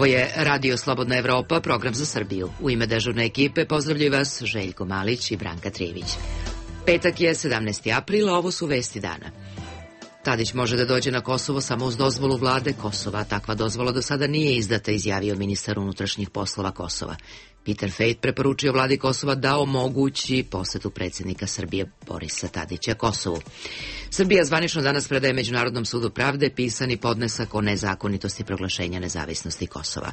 Ovo je Radio Slobodna Evropa, program za Srbiju. U ime dežurne ekipe pozdravljaju vas Željko Malić i Branka Trivić. Petak je 17. april, a ovo su vesti dana. Tadić može da dođe na Kosovo samo uz dozvolu vlade Kosova. Takva dozvola do sada nije izdata, izjavio ministar unutrašnjih poslova Kosova. Peter Fejt preporučio vladi Kosova da omogući posetu predsjednika Srbije Borisa Tadića Kosovu. Srbija zvanično danas predaje Međunarodnom sudu pravde pisani podnesak o nezakonitosti proglašenja nezavisnosti Kosova.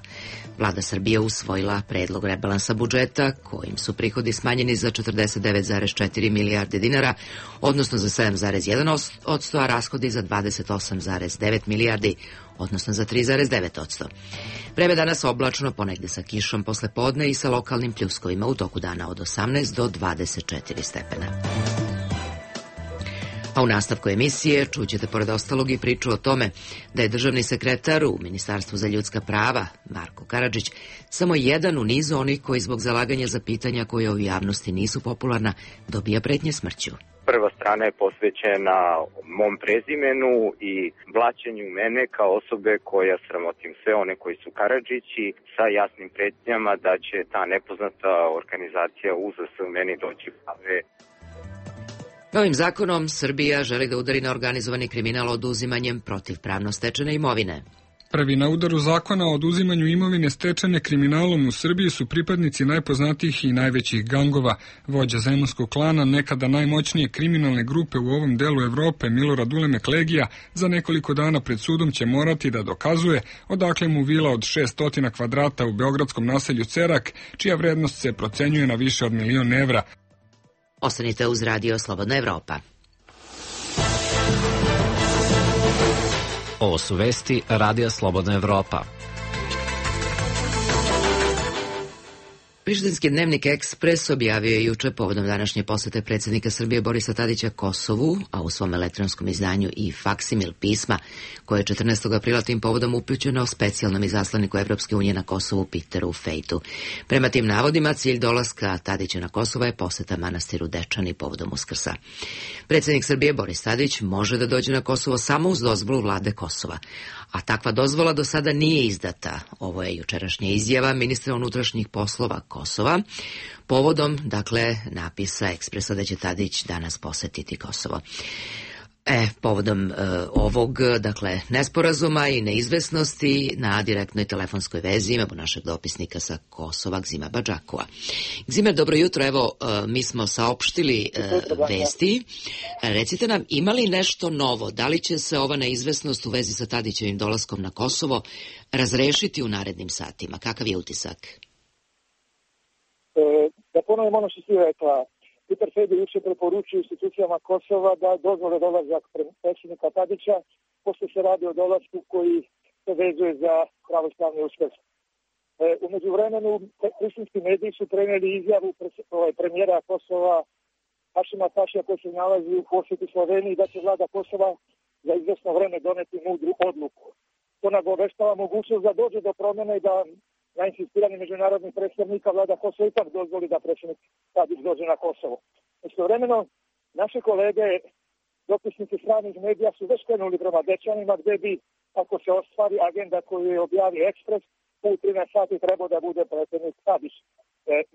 Vlada Srbije usvojila predlog rebalansa budžeta, kojim su prihodi smanjeni za 49,4 milijarde dinara, odnosno za 7,1%, a rashodi za 28,9 milijardi, odnosno za 3,9%. Vreme danas oblačno, ponegde sa kišom posle podne i sa lokalnim pljuskovima u toku dana od 18 do 24 stepena. A u nastavku emisije čućete pored ostalog i priču o tome da je državni sekretar u Ministarstvu za ljudska prava, Marko Karadžić, samo jedan u nizu onih koji zbog zalaganja za pitanja koje u javnosti nisu popularna, dobija pretnje smrću. Prva strana je posvećena mom prezimenu i blaćenju mene kao osobe koja sramotim sve one koji su Karadžići sa jasnim pretnjama da će ta nepoznata organizacija UZS meni doći prave. Novim zakonom Srbija želi da udari na organizovani kriminal oduzimanjem protivpravno stečene imovine. Prvi na udaru zakona o oduzimanju imovine stečene kriminalom u Srbiji su pripadnici najpoznatijih i najvećih gangova. Vođa zemunskog klana, nekada najmoćnije kriminalne grupe u ovom delu Evrope, Milorad Ulemek Legija, za nekoliko dana pred sudom će morati da dokazuje odakle mu vila od 600 kvadrata u beogradskom naselju Cerak, čija vrednost se procenjuje na više od 1.000.000 evra. Ostanite uz Radio Slobodna Evropa. Ovo su vesti Radija Slobodna Evropa. Prištinski dnevnik Ekspres objavio je juče povodom današnje posete predsjednika Srbije Borisa Tadića Kosovu, a u svom elektronskom izdanju i faksimil pisma, koje je 14. aprila tim povodom upućeno specijalnom izaslaniku Evropske unije na Kosovu Peteru Fejtu. Prema tim navodima, cilj dolaska Tadića na Kosovo je poseta manastiru Dečani povodom Uskrsa. Predsjednik Srbije Boris Tadić može da dođe na Kosovo samo uz dozvolu vlade Kosova, a takva dozvola do sada nije izdata. Ovo je jučerašnja izjava ministra unutrašnjih poslova Kosova, povodom, napisa Ekspresa da će Tadić danas posetiti Kosovo. Povodom ovog, nesporazuma i neizvesnosti na direktnoj telefonskoj vezi imamo našeg dopisnika sa Kosova, Gzima Badžakova. Gzime, dobro jutro, evo, mi smo saopštili vesti. Recite nam, ima li nešto novo? Da li će se ova neizvesnost u vezi sa Tadićevim dolaskom na Kosovo razrešiti u narednim satima? Kakav je utisak? Da ponovim ono što si rekla, Peter Fejt je juče preporučio institucijama Kosova da dozvole dolazak predsjednika Tadića, pošto se radi o dolasku koji se vezuje za pravoslavni Uskrs. U međuvremenu prištinski mediji su prenijeli izjavu premijera Kosova Hašima Tašija koji se nalazi u posjeti Sloveniji da će vlada Kosova za izvjesno vreme doneti mudru odluku. To nagoveštava mogućnost da dođe do promjene i da na insistiranje međunarodnih predstavnika vlada Kosova ipak dozvoli da predsjednik Tadić dođe na Kosovo. Istovremeno, naše kolege, dopisnici stranih medija su već krenuli prema Dečanima gdje bi, ako se ostvari agenda koju je objavio Ekspres, u 13 sati trebao da bude predsjednik Tadić.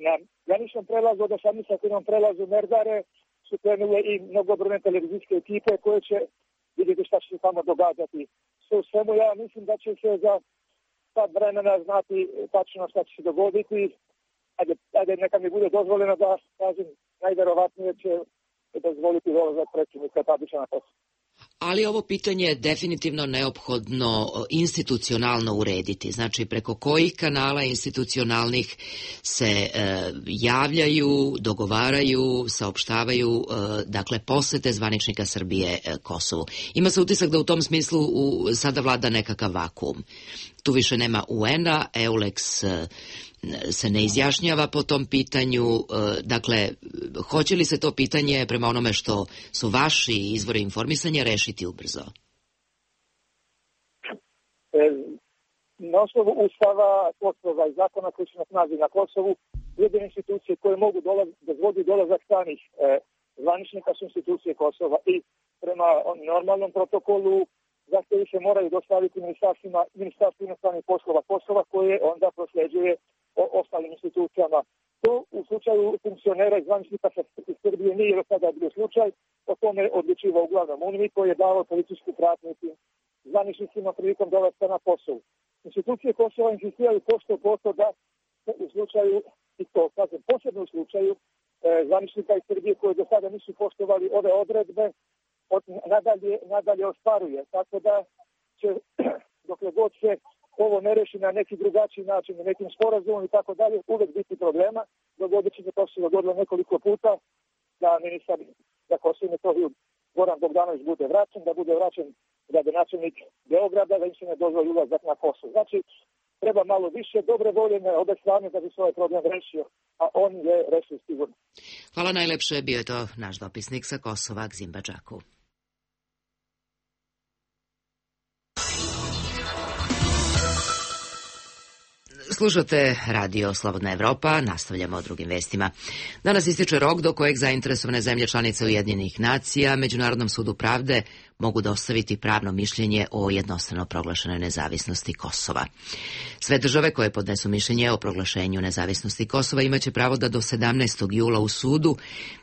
Na graničnom prelazu od 18 prelazu Merdare su krenule i mnogobrojne televizijske ekipe koje će vidjeti šta će se tamo događati. Sve u svemu ja mislim da će se za sad vremena znati tačno šta će se dogoditi. Ajde, neka mi bude dozvoljeno da kažem, najverovatnije će dozvoliti dolazak predsjednika Tadića na Kosovo. Ali ovo pitanje je definitivno neophodno institucionalno urediti. Znači, preko kojih kanala institucionalnih se javljaju, dogovaraju, saopštavaju, posete zvaničnika Srbije Kosovu. Ima se utisak da u tom smislu sada vlada nekakav vakuum. Tu više nema UN-a, EULEX se ne izjašnjava po tom pitanju. Hoće li se to pitanje, prema onome što su vaši izvori informisanja, rešiti ubrzo? Na osnovu Ustava Kosova i zakona koji su na snazi na Kosovu, jedine institucije koje mogu dozvoliti dolazak stranih zvaničnika su institucije Kosova i prema normalnom protokolu zahtjevi se moraju dostaviti Ministarstvu inostranih poslova Kosova, koje onda prosljeđuje ostalim institucijama. To u slučaju funkcionera i zvaničnika iz Srbije nije do sada bio slučaj, o tome odlučivao uglavnom UNMIK, koji je davao policijsku pratnju tim zvaničnicima prilikom dolaska na Kosovu. Institucije Kosova insistiraju pošto da u slučaju, i to kažem posebno u slučaju zvaničnika iz Srbije koji do sada nisu poštovali ove odredbe, nadalje ostvaruje. Tako da će, dokle god se ovo ne reši na neki drugačiji način, na nekim sporazumom i tako dalje, uvek biti problema. Dogodit će se, to se dogodilo nekoliko puta, da ministar za Kosovo i Metohiju Goran Bogdanović bude vraćen, da bude vraćen gradonačelnik Beograda, da im se ne dozvoli ulazak na Kosovo. Znači, treba malo više dobre volje na obe strane da bi se ovaj problem rešio, a on je rešio sigurno. Hvala najlepše, bio je to naš dopisnik sa Kosova, Gzim Badžaku. Slušate Radio Slobodna Evropa, nastavljamo o drugim vestima. Danas ističe rok do kojeg zainteresovane zemlje članice Ujedinjenih nacija Međunarodnom sudu pravde mogu dostaviti pravno mišljenje o jednostrano proglašenoj nezavisnosti Kosova. Sve države koje podnesu mišljenje o proglašenju nezavisnosti Kosova imaće pravo da do 17. jula u sudu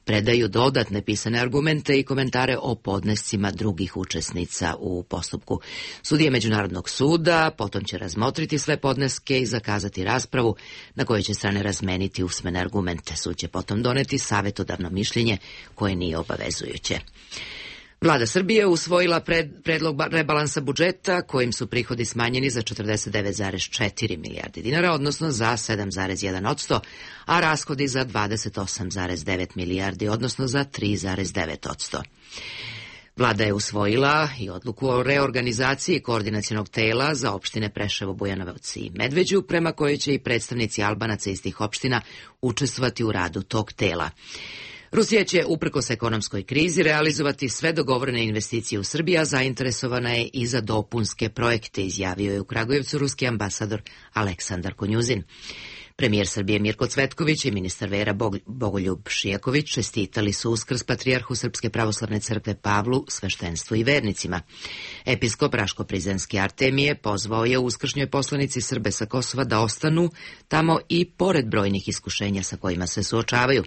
predaju dodatne pisane argumente i komentare o podnescima drugih učesnica u postupku. Sudije Međunarodnog suda potom će razmotriti sve podneske i zakazati raspravu na kojoj će strane razmeniti usmene argumente. Sud će potom doneti savjetodavno mišljenje koje nije obavezujuće. Vlada Srbije usvojila predlog rebalansa budžeta kojim su prihodi smanjeni za 49,4 milijardi dinara, odnosno za 7,1%, a rashodi za 28,9 milijardi, odnosno za 3,9%. Vlada je usvojila i odluku o reorganizaciji koordinacionog tela za opštine Preševo, Bujanovac i Medveđu, prema kojoj će i predstavnici Albanaca iz tih opština učestvovati u radu tog tela. Rusija će, uprkos ekonomskoj krizi, realizovati sve dogovorene investicije u Srbiji, a zainteresovana je i za dopunske projekte, izjavio je u Kragujevcu ruski ambasador Aleksandar Konjuzin. Premijer Srbije Mirko Cvetković i ministar vera Bogoljub Šijaković čestitali su Uskrs patrijarhu Srpske pravoslavne crkve Pavlu, sveštenstvu i vernicima. Episkop Raško-Prizrenski Artemije pozvao je uskršnjoj poslanici Srbe sa Kosova da ostanu tamo i pored brojnih iskušenja sa kojima se suočavaju.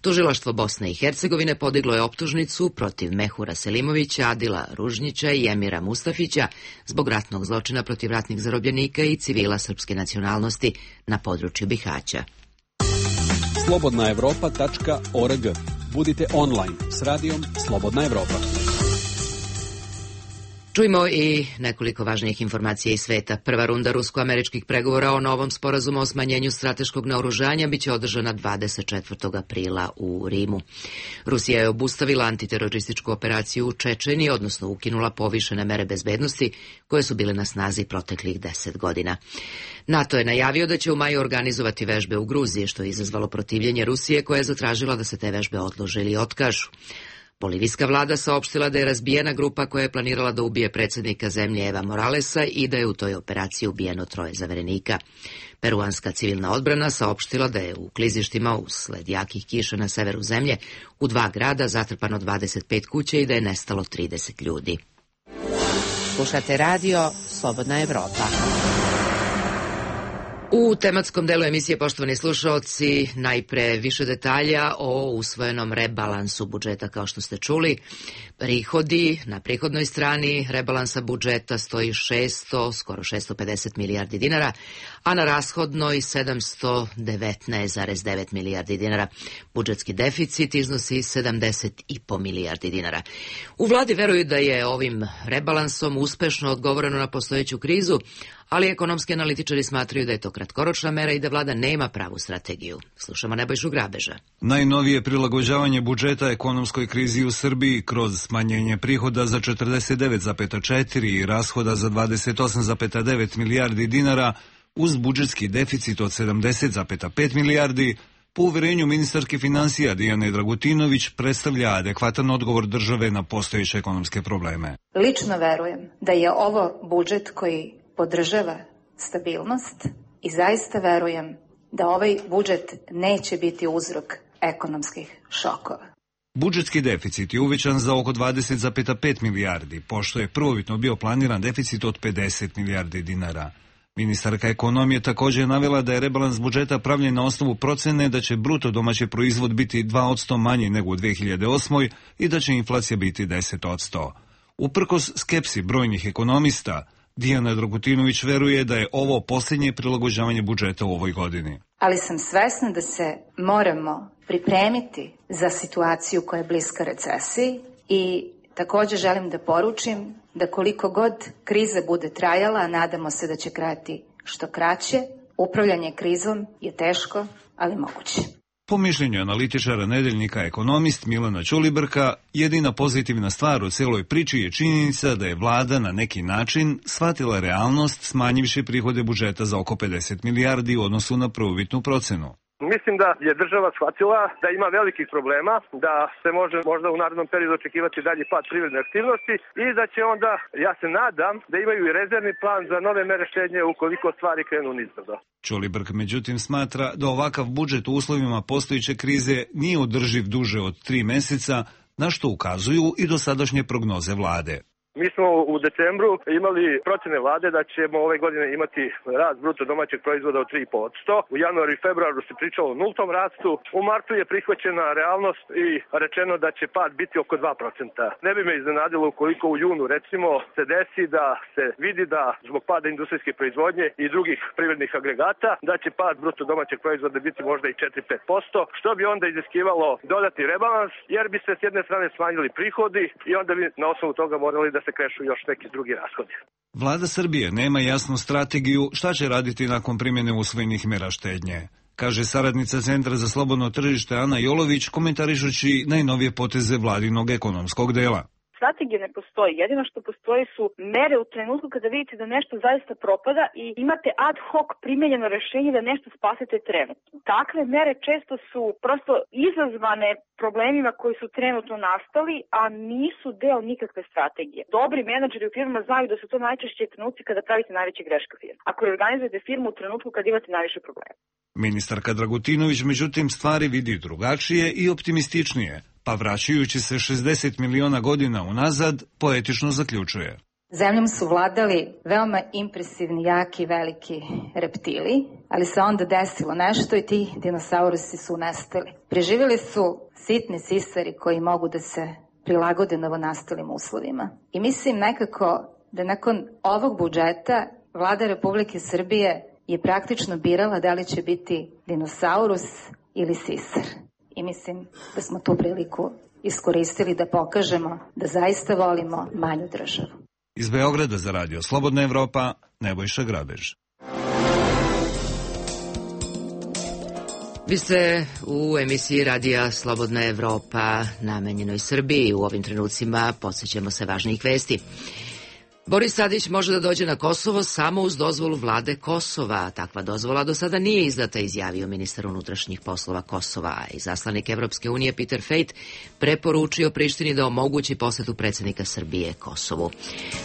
Tužilaštvo Bosne i Hercegovine podiglo je optužnicu protiv Mehura Selimovića, Adila Ružnjića i Emira Mustafića zbog ratnog zločina protiv ratnih zarobljenika i civila srpske nacionalnosti na području Bihaća. slobodnaevropa.org. Budite online s radijom Slobodna Evropa. Čujmo i nekoliko važnijih informacija iz sveta. Prva runda rusko-američkih pregovora o novom sporazumu o smanjenju strateškog naoružanja biće održana 24. aprila u Rimu. Rusija je obustavila antiterorističku operaciju u Čečeniji, odnosno ukinula povišene mere bezbednosti koje su bile na snazi proteklih 10 godina. NATO je najavio da će u maju organizovati vežbe u Gruziji, što je izazvalo protivljenje Rusije, koja je zatražila da se te vežbe odlože ili otkažu. Bolivijska vlada saopštila da je razbijena grupa koja je planirala da ubije predsjednika zemlje Eva Moralesa i da je u toj operaciji ubijeno 3 zaverenika. Peruanska civilna odbrana saopštila da je u klizištima usled jakih kiša na severu zemlje u 2 grada zatrpano 25 kuća i da je nestalo 30 ljudi. Slušate radio Slobodna Evropa. U tematskom delu emisije, poštovani slušaoci, najpre više detalja o usvojenom rebalansu budžeta. Kao što ste čuli, prihodi na prihodnoj strani rebalansa budžeta stoji skoro 650 milijardi dinara, a na rashodnoj 719,9 milijardi dinara. Budžetski deficit iznosi 70,5 milijardi dinara. U vladi veruju da je ovim rebalansom uspešno odgovoreno na postojeću krizu, ali ekonomski analitičari smatraju da je to kratkoročna mera i da vlada nema pravu strategiju. Slušamo Nebojšu Grabeža. Najnovije prilagođavanje budžeta ekonomskoj krizi u Srbiji kroz smanjenje prihoda za 49,4 i rashoda za 28,9 milijardi dinara uz budžetski deficit od 70,5 milijardi, po uverenju ministarke finansija Dijane Dragutinović, predstavlja adekvatan odgovor države na postojeće ekonomske probleme. Lično verujem da je ovo budžet koji podržava stabilnost i zaista verujem da ovaj budžet neće biti uzrok ekonomskih šokova. Budžetski deficit je uvećan za oko 20,5 milijardi, pošto je prvobitno bio planiran deficit od 50 milijardi dinara. Ministarka ekonomije također je navela da je rebalans budžeta pravljen na osnovu procene da će bruto domaći proizvod biti 2% manji nego u 2008. i da će inflacija biti 10%. Uprkos skepsi brojnih ekonomista, Dijana Dragutinović veruje da je ovo posljednje prilagođavanje budžeta u ovoj godini. Ali sam svesna da se moramo pripremiti za situaciju koja je bliska recesiji i također želim da poručim da koliko god kriza bude trajala, a nadamo se da će trajati što kraće, upravljanje krizom je teško, ali moguće. Po mišljenju analitičara Nedeljnika Ekonomist Milana Ćulibrka, jedina pozitivna stvar u cijeloj priči je činjenica da je vlada na neki način shvatila realnost smanjivši prihode budžeta za oko 50 milijardi u odnosu na prvobitnu procenu. Mislim da je država shvatila da ima velikih problema, da se može možda u narednom periodu očekivati dalji pad privredne aktivnosti i da će onda, ja se nadam, da imaju i rezervni plan za nove mere štednje ukoliko stvari krenu nizbrdo. Ćulibrk međutim smatra da ovakav budžet u uslovima postojeće krize nije održiv duže od 3 meseca, na što ukazuju i dosadašnje prognoze vlade. Mi smo u decembru imali procene vlade da ćemo ove godine imati rast bruto domaćeg proizvoda od 3,5%. U januaru i februaru se pričalo o nultom rastu. U martu je prihvaćena realnost i rečeno da će pad biti oko 2%. Ne bi me iznenadilo ukoliko u junu recimo se desi da se vidi da zbog pada industrijske proizvodnje i drugih privrednih agregata da će pad bruto domaćeg proizvoda biti možda i 4-5%, što bi onda iziskivalo dodatni rebalans jer bi se s jedne strane smanjili prihodi i onda bi na osnovu toga morali da se krešu još neki drugi rashodi. Vlada Srbije nema jasnu strategiju šta će raditi nakon primjene usvojenih mera štednje, kaže saradnica Centra za slobodno tržište Ana Jolović komentarišući najnovije poteze vladinog ekonomskog dela. Strategija ne postoji. Jedino što postoji su mere u trenutku kada vidite da nešto zaista propada i imate ad hoc primenjeno rešenje da nešto spasete trenutno. Takve mere često su prosto izazvane problemima koji su trenutno nastali, a nisu deo nikakve strategije. Dobri menadžeri u firmama znaju da su to najčešće trenutci kada pravite najveće greške u firmi. Ako organizujete firmu u trenutku kada imate najviše problema. Ministarka Dragutinović međutim stvari vidi drugačije i optimističnije, pa vraćajući se 60 miliona godina unazad, poetično zaključuje. Zemljom su vladali veoma impresivni, jaki, veliki reptili, ali se onda desilo nešto i ti dinosaurusi su nestali. Preživjeli su sitni sisari koji mogu da se prilagode novonastalim uslovima. I mislim nekako da nakon ovog budžeta Vlada Republike Srbije je praktično birala da li će biti dinosaurus ili sisar. I mislim da smo tu priliku iskoristili da pokažemo da zaista volimo manju državu. Iz Beograda za radio Slobodna Evropa, Nebojša Grabež. Vi ste u emisiji radija Slobodna Evropa namenjenoj Srbiji. U ovim trenucima podsjećamo se važnijih vesti. Boris Tadić može da dođe na Kosovo samo uz dozvolu vlade Kosova. Takva dozvola do sada nije izdata, izjavio ministar unutrašnjih poslova Kosova. Izaslanik Evropske unije Peter Fejt preporučio Prištini da omogući posetu predsjednika Srbije Kosovu.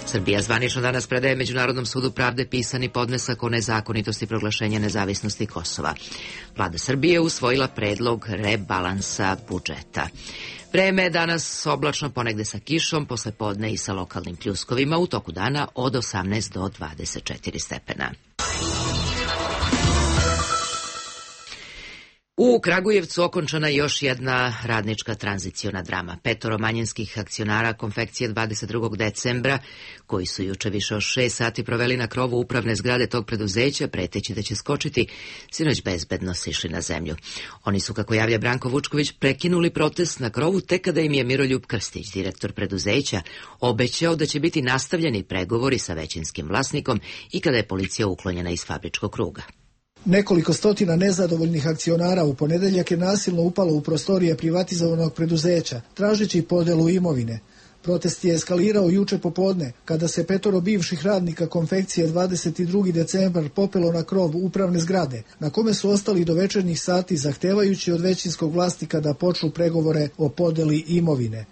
Srbija zvanično danas predaje Međunarodnom sudu pravde pisani podnesak o nezakonitosti proglašenja nezavisnosti Kosova. Vlada Srbije usvojila predlog rebalansa budžeta. Vreme je danas oblačno, ponegde sa kišom, posle podne i sa lokalnim pljuskovima, u toku dana od 18 do 24 stepena. U Kragujevcu okončana još jedna radnička tranziciona drama. 5 manjinskih akcionara konfekcije 22. decembra, koji su juče više od 6 sati proveli na krovu upravne zgrade tog preduzeća, preteći da će skočiti, sinoć bezbedno sišli na zemlju. Oni su, kako javlja Branko Vučković, prekinuli protest na krovu tek kada im je Miroljub Krstić, direktor preduzeća, obećao da će biti nastavljeni pregovori sa većinskim vlasnikom i kada je policija uklonjena iz fabričkog kruga. Nekoliko stotina nezadovoljnih akcionara u ponedeljak je nasilno upalo u prostorije privatizovanog preduzeća, tražeći podelu imovine. Protest je eskalirao juče popodne, kada se 5 bivših radnika konfekcije 22. decembar popelo na krov upravne zgrade, na kome su ostali do večernjih sati zahtevajući od većinskog vlasnika da počnu pregovore o podeli imovine.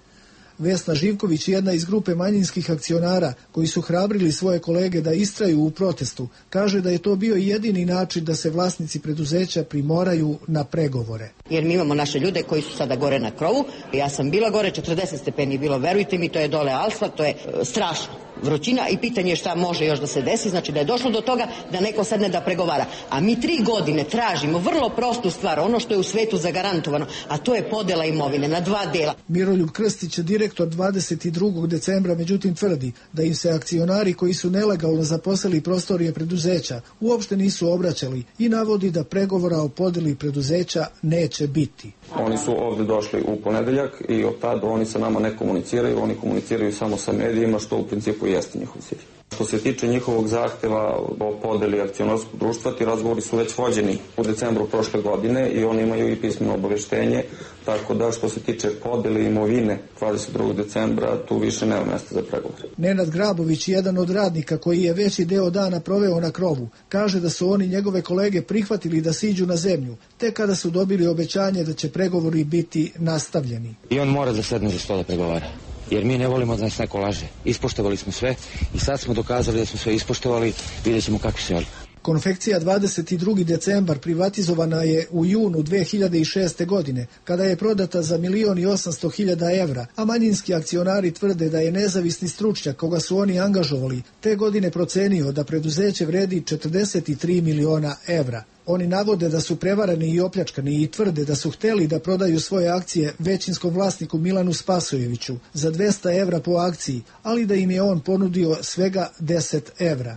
Vesna Živković, jedna iz grupe manjinskih akcionara koji su hrabrili svoje kolege da istraju u protestu, kaže da je to bio jedini način da se vlasnici preduzeća primoraju na pregovore. Jer mi imamo naše ljude koji su sada gore na krovu. Ja sam bila gore, 40 stepeni je bilo, verujte mi, to je dole asfalt, to je strašno. Vrućina i pitanje je šta može još da se desi, znači da je došlo do toga da neko sedne da pregovara. A mi 3 godine tražimo vrlo prostu stvar, ono što je u svetu zagarantovano, a to je podela imovine na 2 dela. Miroljub Krstić, direktor 22. decembra, međutim tvrdi da im se akcionari koji su nelegalno zaposeli prostorije preduzeća uopšte nisu obraćali i navodi da pregovora o podeli preduzeća neće biti. Oni su ovde došli u ponedeljak i od tada oni sa nama ne komuniciraju, oni komuniciraju samo sa medijima, što u principu jeste njihov cilj. Što se tiče njihovog zahteva o podeli akcionarskog društva, ti razgovori su već vođeni u decembru prošle godine i oni imaju i pismeno obaveštenje, tako da što se tiče podele imovine 22. decembra, tu više nema mesta za pregovor. Nenad Grabović, jedan od radnika koji je veći deo dana proveo na krovu, kaže da su oni njegove kolege prihvatili da siđu na zemlju, te kada su dobili obećanje da će pregovori biti nastavljeni. I on mora da sedne za sto da pregovara. Jer mi ne volimo da nas neko laže. Ispoštovali smo sve i sad smo dokazali da smo sve ispoštovali, vidjet ćemo kakvi se oni. Konfekcija 22. decembar privatizovana je u junu 2006. godine, kada je prodata za 1.800.000 evra, a manjinski akcionari tvrde da je nezavisni stručnjak koga su oni angažovali te godine procenio da preduzeće vredi 43 miliona evra. Oni navode da su prevarani i opljačkani i tvrde da su hteli da prodaju svoje akcije većinskom vlasniku Milanu Spasojeviću za 200 evra po akciji, ali da im je on ponudio svega 10 evra.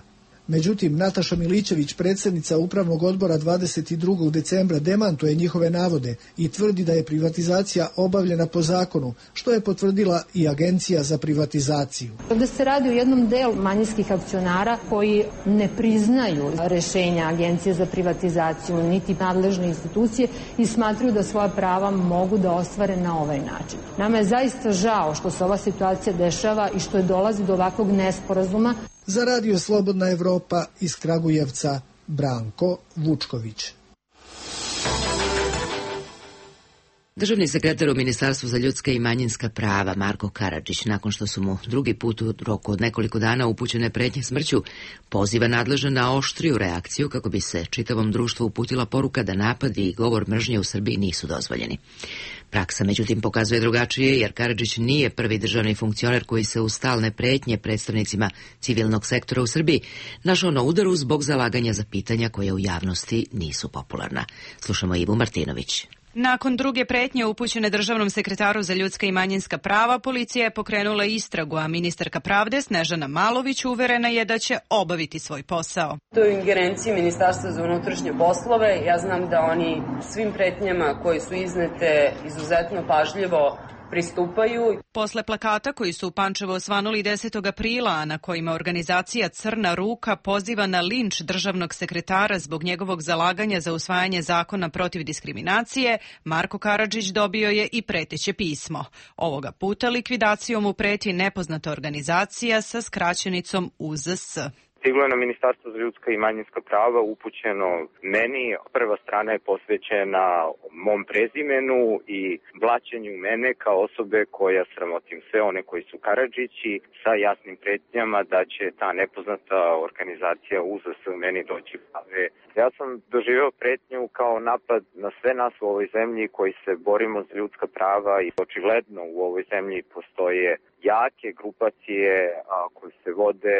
Međutim, Nataša Milićević, predsjednica Upravnog odbora 22. decembra, demantuje njihove navode i tvrdi da je privatizacija obavljena po zakonu, što je potvrdila i Agencija za privatizaciju. Ovdje se radi o jednom delu manjinskih akcionara koji ne priznaju rešenja Agencije za privatizaciju niti nadležne institucije i smatruju da svoja prava mogu da ostvare na ovaj način. Nama je zaista žao što se ova situacija dešava i što je dolazi do ovakvog nesporazuma. Za Radio Slobodna Evropa iz Kragujevca, Branko Vučković. Državni sekretar u Ministarstvu za ljudska i manjinska prava Marko Karadžić, nakon što su mu drugi put u roku od nekoliko dana upućene pretnje smrću, poziva nadležne na oštriju reakciju kako bi se čitavom društvu uputila poruka da napadi i govor mržnje u Srbiji nisu dozvoljeni. Praksa međutim pokazuje drugačije, jer Karadžić nije prvi državni funkcioner koji se uz stalne pretnje predstavnicima civilnog sektora u Srbiji našao na udaru zbog zalaganja za pitanja koje u javnosti nisu popularna. Slušamo Ivu Martinović. Nakon druge pretnje upućene državnom sekretaru za ljudska i manjinska prava, policija je pokrenula istragu, a ministarka pravde Snežana Malović uverena je da će obaviti svoj posao. To je u ingerenciji Ministarstva za unutrašnje poslove. Ja znam da oni svim pretnjama koje su iznete izuzetno pažljivo pristupaju. Posle plakata koji su u Pančevo osvanuli 10. aprila, a na kojima organizacija Crna ruka poziva na linč državnog sekretara zbog njegovog zalaganja za usvajanje zakona protiv diskriminacije, Marko Karadžić dobio je i preteće pismo. Ovoga puta likvidacijom mu preti nepoznata organizacija sa skraćenicom UZS. Stiglo je na Ministarstvo za ljudska i manjinska prava upućeno meni. Prva strana je posvećena mom prezimenu i blaćenju mene kao osobe koja sramotim sve one koji su Karadžići sa jasnim pretnjama da će ta nepoznata organizacija UZS meni doći prave. Ja sam doživeo pretnju kao napad na sve nas u ovoj zemlji koji se borimo za ljudska prava i očigledno u ovoj zemlji postoje jake grupacije koje se vode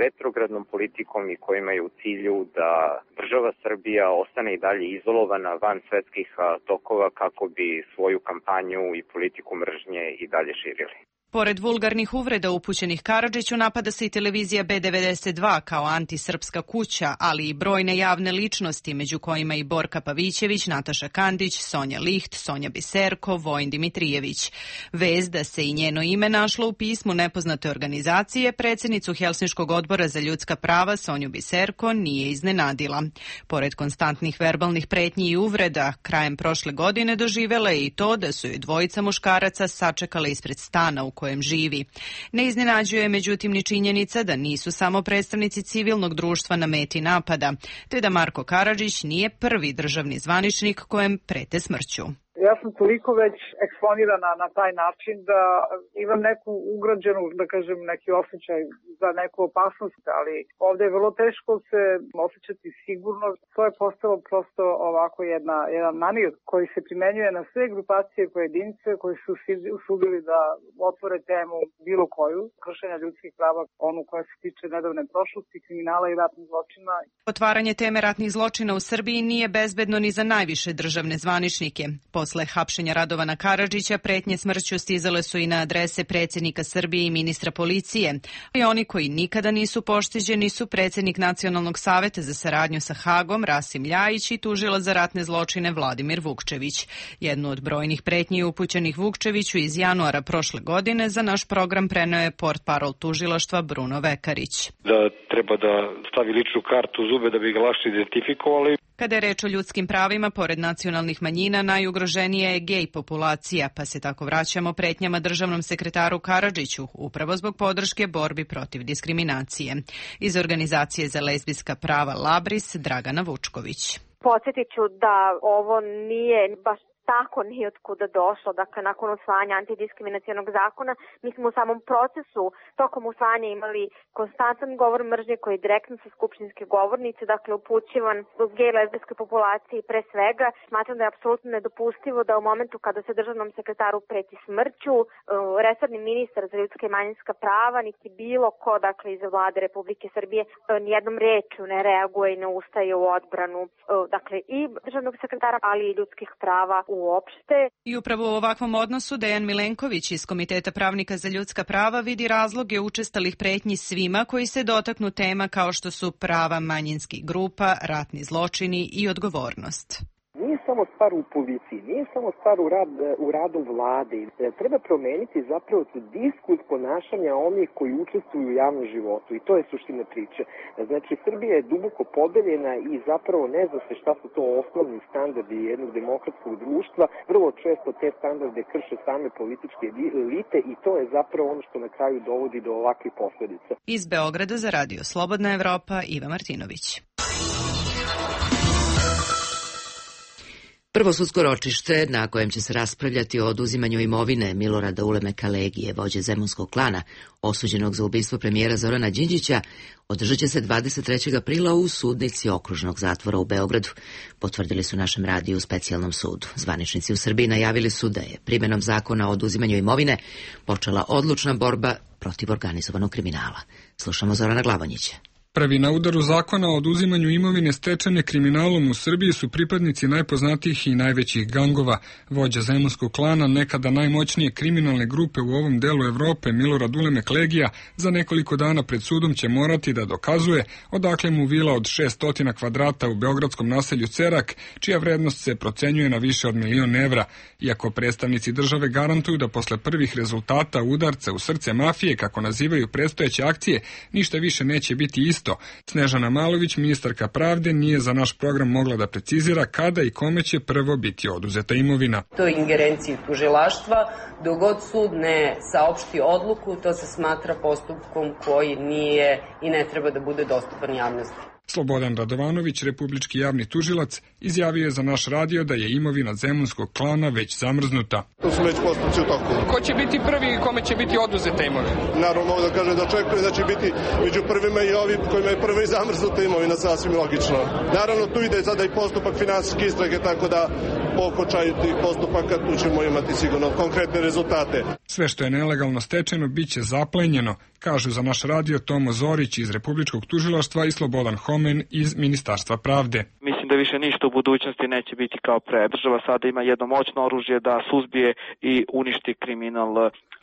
retrogradnom politikom i koji imaju u cilju da država Srbija ostane i dalje izolovana van svetskih tokova kako bi svoju kampanju i politiku mržnje i dalje širili. Pored vulgarnih uvreda upućenih Karadžiću, napada se i televizija B92 kao antisrpska kuća, ali i brojne javne ličnosti, među kojima i Borka Pavićević, Nataša Kandić, Sonja Liht, Sonja Biserko, Vojin Dimitrijević. Vest da se i njeno ime našlo u pismu nepoznate organizacije, predsjednicu Helsinškog odbora za ljudska prava Sonju Biserko nije iznenadila. Pored konstantnih verbalnih pretnji i uvreda, krajem prošle godine doživela je i to da su joj dvojica muškaraca sačekale ispred stana u kojem živi. Ne iznenađuje međutim ni činjenica da nisu samo predstavnici civilnog društva na meti napada, te da Marko Karadžić nije prvi državni zvaničnik kojem prete smrću. Ja sam toliko već eksponirana na taj način da imam neku ugrađenu, da kažem, neki osjećaj za neku opasnost, ali ovde je vrlo teško se osjećati sigurno. To je postalo prosto ovako jedan manir koji se primenjuje na sve grupacije pojedince koji su usudili da otvore temu bilo koju, kršenja ljudskih prava, onu koja se tiče nedavne prošlosti, kriminala i ratnih zločina. Otvaranje teme ratnih zločina u Srbiji nije bezbedno ni za najviše državne zvaničnike. Posle hapšenja Radovana Karadžića pretnje smrću stizale su i na adrese predsjednika Srbije i ministra policije. I oni koji nikada nisu pošteđeni su predsjednik Nacionalnog saveta za saradnju sa Hagom Rasim Ljajić i tužilac za ratne zločine Vladimir Vukčević. Jednu od brojnih pretnji upućenih Vukčeviću iz januara prošle godine za naš program preneo je portparol tužilaštva Bruno Vekarić. Da treba da stavi ličnu kartu u zube da bi ga lakše identifikovali. Kada je reč o ljudskim pravima, pored nacionalnih manjina, najugroženija je gej populacija, pa se tako vraćamo pretnjama državnom sekretaru Karadžiću, upravo zbog podrške borbi protiv diskriminacije. Iz organizacije za lezbijska prava Labris, Dragana Vučković. Podsjetit ću da ovo nije baš tako nije od kuda došlo, dakle nakon usvajanja antidiskriminacionog zakona, mi smo u samom procesu tokom usvajanja imali konstantan govor mržnje koji je direktno sa skupštinske govornice, dakle upućivan zbog gej lezbijske populacije pre svega. Smatram da je apsolutno nedopustivo da u momentu kada se državnom sekretaru preti smrću, resorni ministar za ljudska i manjinska prava, niti bilo ko, dakle iz vlade Republike Srbije, nijednom rečju ne reaguje i ne ustaje u odbranu, dakle i državnog sekretara, ali i ljudskih prava uopšte. I upravo u ovakvom odnosu Dejan Milenković iz Komiteta pravnika za ljudska prava vidi razloge učestalih pretnji svima koji se dotaknu tema kao što su prava manjinskih grupa, ratni zločini i odgovornost. Nije samo stvar u policiji, nije samo stvar u radu vlade. Treba promeniti zapravo diskurs ponašanja onih koji učestvuju u javnom životu i to je suština priče. Znači, Srbija je duboko podeljena i zapravo ne zna se šta su to osnovni standardi jednog demokratskog društva. Vrlo često te standarde krše same političke elite i to je zapravo ono što na kraju dovodi do ovakvih posledica. Iz Beograda za Radio Slobodna Evropa, Iva Martinović. Prvo sudsko ročište na kojem će se raspravljati o oduzimanju imovine Milorada Ulemeka Legije, vođe zemunskog klana, osuđenog za ubistvo premijera Zorana Đinđića, održat će se 23. aprila u sudnici okružnog zatvora u Beogradu, potvrdili su našem radiju u specijalnom sudu. Zvaničnici u Srbiji najavili su da je primjenom zakona o oduzimanju imovine počela odlučna borba protiv organizovanog kriminala. Slušamo Zorana Glavonjića. Prvi na udaru zakona o oduzimanju imovine stečene kriminalom u Srbiji su pripadnici najpoznatijih i najvećih gangova. Vođa zemunskog klana, nekada najmoćnije kriminalne grupe u ovom delu Evrope, Milorad Ulemek Legija, za nekoliko dana pred sudom će morati da dokazuje odakle mu vila od 600 kvadrata u beogradskom naselju Cerak, čija vrednost se procenjuje na više od 1.000.000 evra. Iako predstavnici države garantuju da posle prvih rezultata udarca u srce mafije, kako nazivaju predstojeće akcije, ništa više neće biti isto. Snežana Malović, ministarka pravde, nije za naš program mogla da precizira kada i kome će prvo biti oduzeta imovina. To je ingerenciji tužilaštva. Dok god sud ne saopšti odluku, to se smatra postupkom koji nije i ne treba da bude dostupan javnosti. Slobodan Radovanović, republički javni tužilac, izjavio je za naš radio da je imovina zemunskog klana već zamrznuta. To su već postupci u toku. Ko će biti prvi i kome će biti oduzeta imovina? Naravno, mogu da kažem da očekujem da će biti među prvima i ovi kojima je prva i zamrznuta imovina, sasvim logično. Naravno, tu ide sada i postupak finansijske istrage, tako da po okončanju tih postupaka tu ćemo imati sigurno konkretne rezultate. Sve što je nelegalno stečeno biće zaplenjeno, kažu za naš radio Tomo Zorić iz Republičkog tužilaštva i Slobodan Homen iz Ministarstva pravde. Mislim da više ništa u budućnosti neće biti kao pre. Država sada ima jedno moćno oružje da suzbije i uništi kriminal.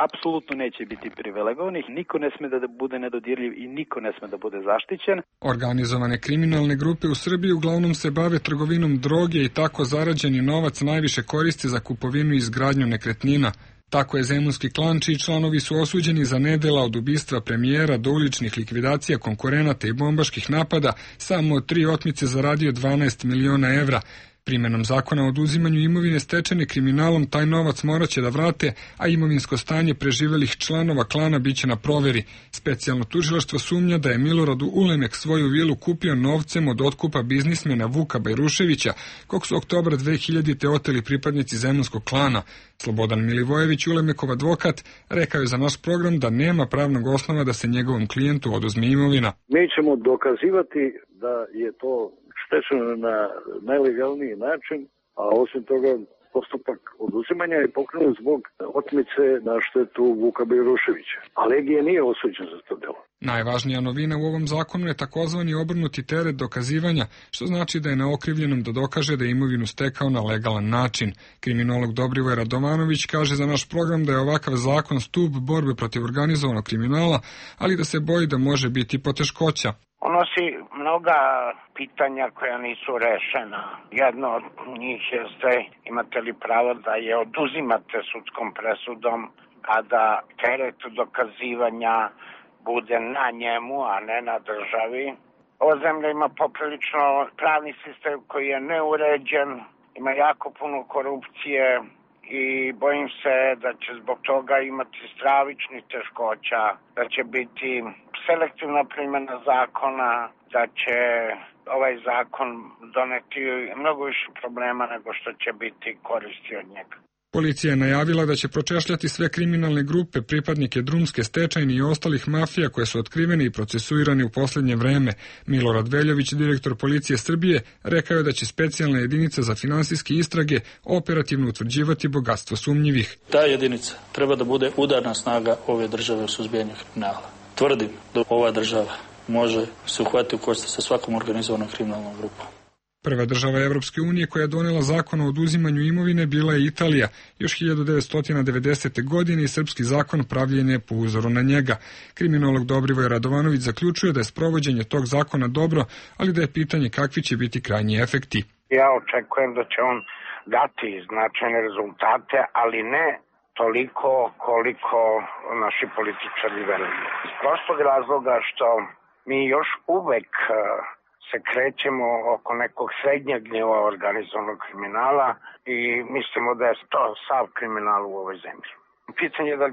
Apsolutno neće biti privilegovanih, niko ne sme da bude nedodirljiv i niko ne sme da bude zaštićen. Organizovane kriminalne grupe u Srbiji uglavnom se bave trgovinom droge i tako zarađeni novac najviše koristi za kupovinu i izgradnju nekretnina. Tako je zemunski klan, čiji članovi su osuđeni za nedela od ubistva premijera do uličnih likvidacija konkurenata i bombaških napada, samo od 3 otmice zaradio 12 miliona evra. Primenom zakona o oduzimanju imovine stečene kriminalom taj novac moraće da vrate, a imovinsko stanje preživelih članova klana biće na proveri. Specijalno tužilaštvo sumnja da je Milorad Ulemek svoju vilu kupio novcem od otkupa biznismena Vuka Bajruševića, kog su oktobra 2000. oteli pripadnici zemunskog klana. Slobodan Milivojević, Ulemekov advokat, rekao je za naš program da nema pravnog osnova da se njegovom klijentu oduzme imovina. Mi ćemo dokazivati da je to stečeno na najlegalniji način, a osim toga postupak oduzimanja je pokrenut zbog otmice na štetu Vuka Bajruševića. A Legija nije osuđen za to delo. Najvažnija novina u ovom zakonu je takozvani obrnuti teret dokazivanja, što znači da je na okrivljenom da dokaže da je imovinu stekao na legalan način. Kriminolog Dobrivoje Radovanović kaže za naš program da je ovakav zakon stub borbe protiv organizovanog kriminala, ali da se boji da može biti poteškoća. On nosi mnoga pitanja koja nisu rešena. Jedno od njih jeste imate li pravo da je oduzimate sudskom presudom, a da teret dokazivanja bude na njemu, a ne na državi. Ova zemlja ima poprilično pravni sistem koji je neuređen, ima jako puno korupcije i bojim se da će zbog toga imati stravičnih teškoća, da će biti selektivna primjena zakona, da će ovaj zakon doneti mnogo više problema nego što će biti koristi od njega. Policija je najavila da će pročešljati sve kriminalne grupe, pripadnike drumske, stečajne i ostalih mafija koje su otkrivene i procesuirane u posljednje vreme. Milorad Veljović, direktor Policije Srbije, rekao je da će specijalna jedinica za finansijske istrage operativno utvrđivati bogatstvo sumnjivih. Ta jedinica treba da bude udarna snaga ove države u suzbijanju kriminala. Tvrdim da ova država može se uhvatiti u koštac sa svakom organizovanom kriminalnom grupom. Prva država Evropske unije koja je donela zakon o oduzimanju imovine bila je Italija. Još 1990. godine i srpski zakon pravljen je po uzoru na njega. Kriminolog Dobrivoje Radovanović zaključuje da je sprovođenje tog zakona dobro, ali da je pitanje kakvi će biti krajnji efekti. Ja očekujem da će on dati značajne rezultate, ali ne toliko koliko naši političari veruju. Iz prostog razloga što mi još uvek se krećemo oko nekog srednjeg nivoa organizovanog kriminala i mislimo da je to sav kriminal u ovoj zemlji. Pitanje je da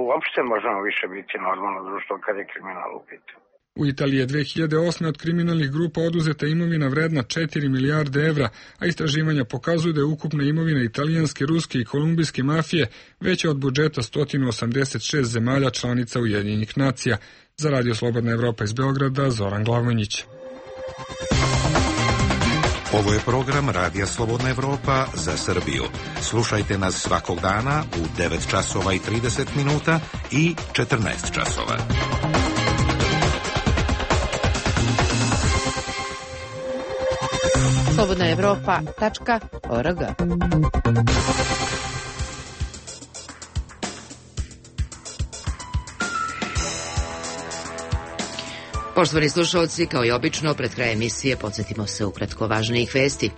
uopšte možemo više biti normalno društvo kad je kriminal u pitanju. U Italiji je 2008. od kriminalnih grupa oduzeta imovina vredna 4 milijarde evra, a istraživanja pokazuju da je ukupna imovina italijanske, ruske i kolumbijske mafije veća od budžeta 186 zemalja članica Ujedinjenih nacija. Za Radio Slobodna Evropa iz Beograda, Zoran Glavonjić. Ovo je program Radija Slobodna Evropa za Srbiju. Slušajte nas svakog dana u 9 časova i 30 minuta i 14 časova. slobodnaevropa.org. Poštovani slušalci, kao i obično, pred kraj emisije podsjetimo se ukratko važnijih vesti.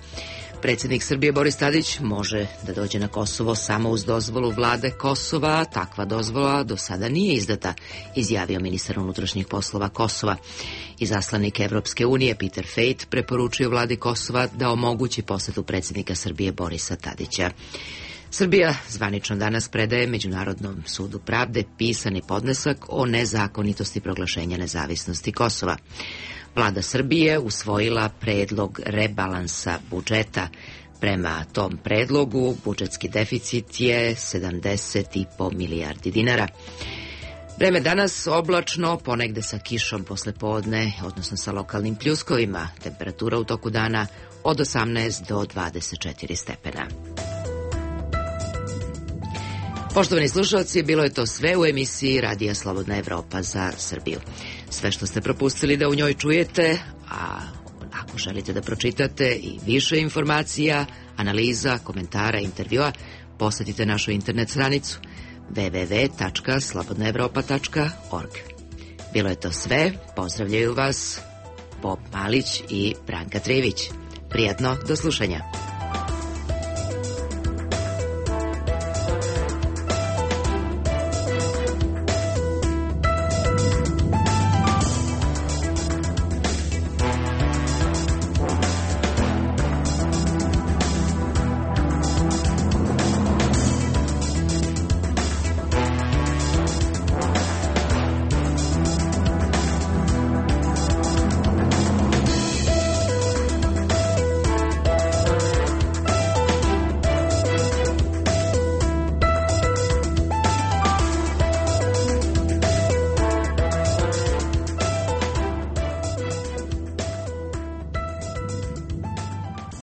Predsjednik Srbije Boris Tadić može da dođe na Kosovo samo uz dozvolu vlade Kosova. Takva dozvola do sada nije izdata, izjavio ministar unutrašnjih poslova Kosova. Izaslanik Evropske unije Peter Fejt preporučio vladi Kosova da omogući posetu predsjednika Srbije Borisa Tadića. Srbija zvanično danas predaje Međunarodnom sudu pravde pisani podnesak o nezakonitosti proglašenja nezavisnosti Kosova. Vlada Srbije usvojila predlog rebalansa budžeta. Prema tom predlogu budžetski deficit je 70,5 milijardi dinara. Vreme danas oblačno, ponegde sa kišom posle podne, odnosno sa lokalnim pljuskovima. Temperatura u toku dana od 18 do 24 stepena. Poštovani slušalci, bilo je to sve u emisiji Radija Slobodna Evropa za Srbiju. Sve što ste propustili da u njoj čujete, a ako želite da pročitate i više informacija, analiza, komentara, intervjua, posetite našu internet stranicu www.slobodnaevropa.org. Bilo je to sve, pozdravljaju vas Bob Malić i Branka Trivić. Prijatno, do slušanja.